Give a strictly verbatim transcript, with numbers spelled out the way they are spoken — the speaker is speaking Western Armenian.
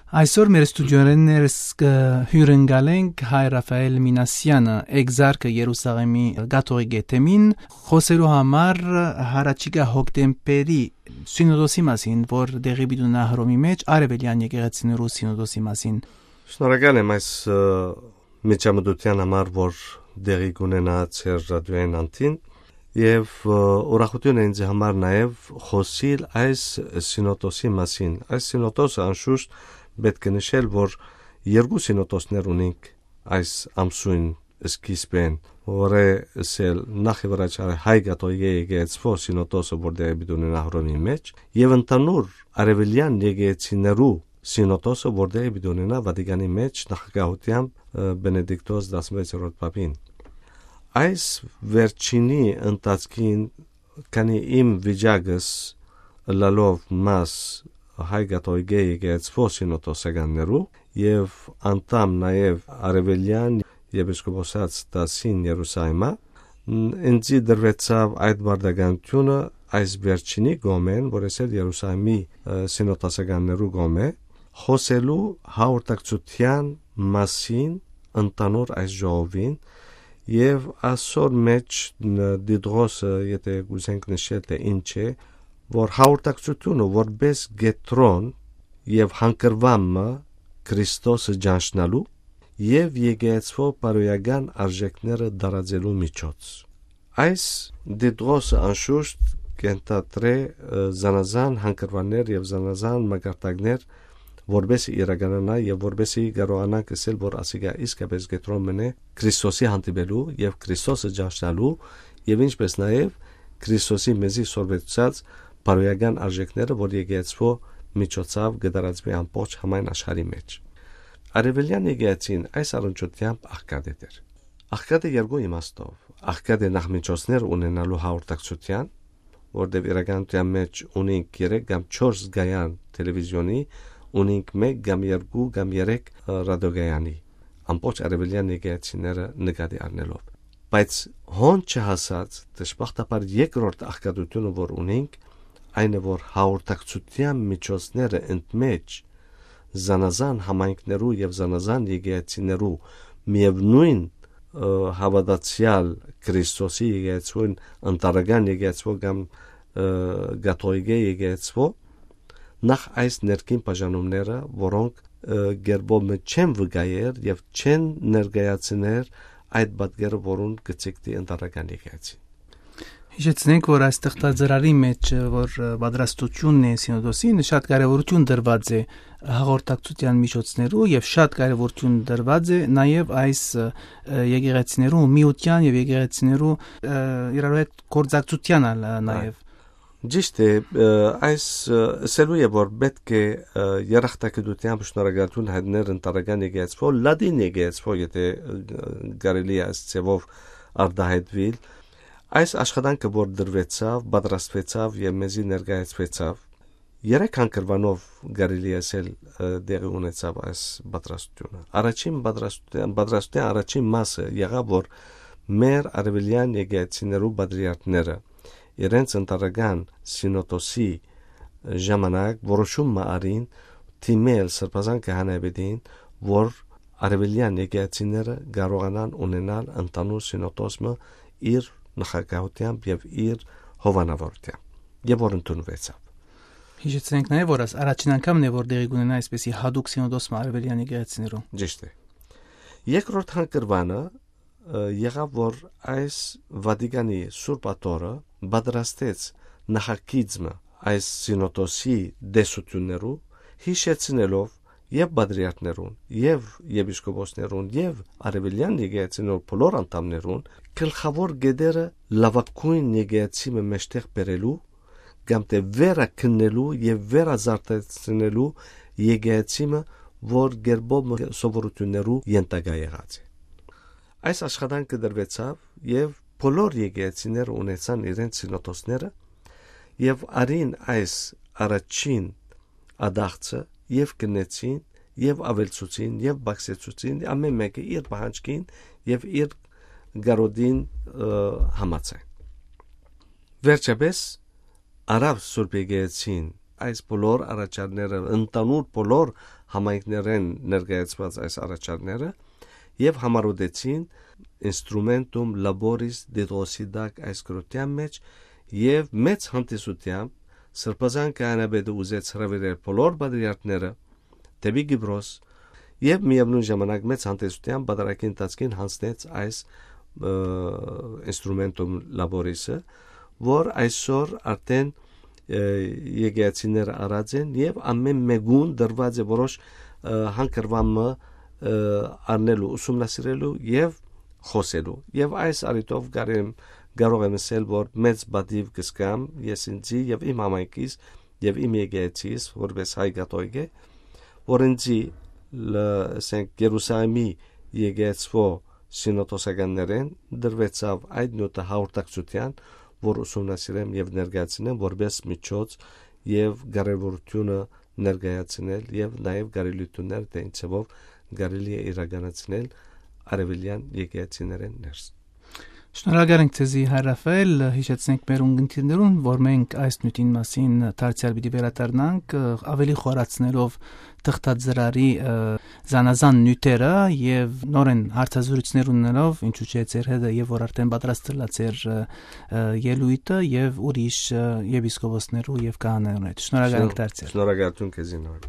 Այսօր մեր ստուդիոներէն ներս կը հիւրընկալենք հայ Ռաֆայել Մինասեանը, էկզարքը Երուսաղէմի կաթողիկէ թեմին, խօսելու համար յառաջիկայ հոկտեմբերի սինոդոսի մասին, որ տեղի պիտի ունենայ Հռոմի մէջ, արեւելեան եկեղեցիներու սինոդոսի մասին։ Շնորհակալ եմ այս, ը, միջամտութեան համար, որ տեղի կունենայ ձեր ռադիոյին անդին, եւ, ը, ուրախութիւն է ինձ համար նաեւ խօսիլ այս սինոդոսի մասին։ Այս սինոդոսը անշուշտ պէտք է նշել, որ երկու սինոդոսներ ունենք այս ամսոյն սկիզբէն, որ է ըսել նախ եւ առաջ հայ կաթողիկէ եկեղեցւոյ սինոդոսը, որ տեղի պիտի ունենայ Հռոմի մէջ, եւ ընդհանուր արեւելեան եկեղեցիներու սինոդոսը, որ տեղի պիտի ունենայ Վատիկանի մէջ նախագահութեամբ, ը, Բենեդիկտոս տասնվեցերորդ պապին։ Այս վերջինի ընթացքին, քանի իմ վիճակս ըլլալով մաս հայ կաթողիկէ եկեղեցւոյ սինոդոսականներու եւ անդամ նաեւ արեւելեան եպիսկոպոսաց դասին Երուսաղէմը, ն-, ինձի տրուեցաւ այդ պարտականութիւնը այս վերջինի կողմէն, որ ես էլ Երուսաղէմի, ը, սինոդոսականներու կողմէ, խօսելու հաղորդակցութեան մասին ընդհանուր այս ժողովին, եւ ասոր մէջ ն-, Դիդրոսը, եթե կ'ուզենք նշել, թէ ինչ է, որ հաղորդակցութիւնը որպէս կեդրոն եւ հանգրուան մը Քրիստոսը ճանչնալու եւ եկեղեցւոյ բարոյական արժեքները տարածելու միջոց։ Այս Դիդրոսը անշուշտ կ'ենթադրէ, ը, զանազան հանգրուաններ եւ զանազան մակարդակներ, որպէս իրականանայ եւ որպէս կարողանանք ըսել, որ ասիկա իսկապէս կեդրոն մը է Քրիստոսի հանդիպելու եւ Քրիստոսը ճանչնալու եւ ինչպէս նաեւ Քրիստոսի մեզի սորվեցուցած բարոյական արժեքները, որ եկեղեցւոյ միջոցաւ կը տարածուի ամբողջ համայն աշխարհի մէջ։ Արեւելեան եկեղեցին այս առնչությամբ աղքատ է դեր։ Աղքատ է երկու իմաստով։ Աղքատ է նախ միջոցներ ունենալու հաղորդակցութեան, որտեղ իրականության մէջ ունենք երեք կամ չորս կայան տելևիզիոնի, ունենք մեկ կամ երկու կամ երեք, ը, ռադիոկայանի, ամբողջ արեւելեան եկեղեցիները նկատի առնելով։ Բայց հոն չհասած, դժբախտաբար երկրորդ աղքատութիւնը, որ ունենք, այն է, որ հաղորդակցութեան միջոցները ընդմէջ զանազան համայնքներու եւ զանազան եկեղեցիներու միեւնոյն, ը, հաւատացեալ Քրիստոսի եկեղեցւոյն, ընտանեկան եկեղեցւոյ կամ, ը, կաթողիկէ եկեղեցւոյ, նախ այս ներքին բաժանումները, որոնք, ը, կերպով մը չեն վկայեր եւ չեն ներկայացներ այդ պատկերը, որուն կը ցիկտի ընտանեկան եկեղեցին։ Յիշեցնենք, որ այս թղթածրարի մէջ, որ, ը, պատրաստությունն է սինոդոսին, շատ կարեւորութիւն տրուած է հաղորդակցութեան միջոցներու եւ շատ կարեւորութիւն տրուած է նաեւ այս, ը, ը, եկեղեցիներու միութեան եւ եկեղեցիներու, ը, իրարու հետ գործակցութեան ալ, ը, Այ, նաեւ։ Ճիշտ է, ը, այս, ը, ըսելու է, որ պէտք է, ը, երախտագիտութեամբ շնորհակալութիւն հայտնել ընտանեկան եկեղեցւոյ, լատին եկեղեցւոյ, եթե, ը, կարելի է այս ձևով արտահայտուիլ, այս աշխատանքը, որ դրուեցաւ, պատրաստուեցաւ եւ մեզի ներկայացուեցաւ, երեք հանգրուանով կարելի է ասել, ը, տեղի ունեցաւ այս պատրաստությունը։ Առաջին պատրաստության, պատրաստության առաջին մասը եղաւ, որ մեր արևելյան եկեղեցիներու պատրիարքները իրենց ընտանեկան սինոդոսի ժամանակ որոշում մը առին դիմել Սրբազան Քահանայապետին, որ արևելյան եկեղեցիները կարողանան ունենալ ընդհանուր սինոդոս մը իր նախագահությամբ եւ իր հովանավորությամբ, եւ որ ընդունուեցաւ։ Հիշեցնենք նաեւ, որ այս առաջին անգամն է, որ տեղի կունենայ այսպիսի հատուկ սինոդոս մը արևելյան եկեղեցիներու։ Ճիշտ է։ Երկրորդ հանգրուանը, ը, եղաւ, որ այս Վատիկանի Սուրբ Աթոռը պատրաստեց նախագիծ մը այս սինոդոսի տեսություններու, հիշեցնելով եւ պատրիարքներուն, եւ եպիսկոպոսներուն, եւ արևելյան եկեղեցիներու բոլոր անդամներուն, գլխաւոր կետերը լաւագոյն եկեղեցի մը մէջտեղ բերելու, կամ թէ վերակննելու եւ վերազարդեցնելու եկեղեցի մը, որ կերպով մը սովորութիւններու ենթակայ եղած է։ Այս աշխատանքը դրուեցաւ, եւ բոլոր եկեղեցիները ունեցան իրենց սինոդոսները, եւ արին այս առաջին ադաղցը, եւ կնեցին, եւ աւելցուցին, եւ բացեցուցին, ամեն մէկը իր պահանջքին եւ իր գարոդին, ը, համաձայն։ Վերջապէս, առաւ Սուրբ Եկեղեցին այս բոլոր առաջարները, ընդհանուր բոլոր համայնքներէն ներկայացուած այս առաջարները, եւ համարուտեցին Instrumentum Laboris Didossi տակ այս գրութեան մեջ, եւ մեծ հանդիսությամբ Սրբազան Քահանայապետը ուզեց հրաւիրել բոլոր պատրիարքները դէպի Կիպրոս, եւ միեւնոյն ժամանակ մեծ հանդիսությամբ պատարագի ընթացքին յանձնեց այս, ը, Instrumentum Laboris-ը, որ այսօր արդեն, ը, եկեղեցիները առած են, եւ ամէն մէկուն տրուած է որոշ, ը, հանգրուան մը, ը, առնելու, ուսումնասիրելու եւ խօսելու։ Եւ այս առիթով կարեմ, կարող եմ ասել, որ մեծ պատիւ կ'զգամ ես ինծի եւ իմ համայնքիս եւ իմ եկեղեցիս, որպես հայ կաթողիկէ, որ ինծի, լը, ասենք, Երուսաղեմի եկեղեցւոյ սինոդոսականներէն տրուեցաւ այդ նիւթը հաղորդակցութեան, որ ուսումնասիրեմ եւ ներկայացնեմ որպես միջոց եւ կարեւորութիւնը ներկայացնել, եւ նաեւ կարելիութիւններ, թե ինչ ձեւով կարելի է իրականացնել արեւելեան եկեղեցիներէն ներս։ Շնորհակալ ենք ձեզի, հայր Ռաֆայել, հիշեցնենք մեր ունգընտիրներուն, որ մենք այս նիւթին մասին դարձեալ պիտի վերադառնանք, ը, ավելի խորացնելով թղթածրարի, ը, զանազան նիւթերը եւ նորեն հարցազրույցներ ունենալով, ինչու՞ չէ, ձեր հետ եւ որ արդեն պատրաստելաց էր, ը, ը, ելոյթը եւ ուրիշ, ը, եպիսկոպոսներու եւ քահանաներուն հետ։ Շնորհակալ ենք Շնոր-, դարձեալ։ Շնորհակալություն քեզի նոր։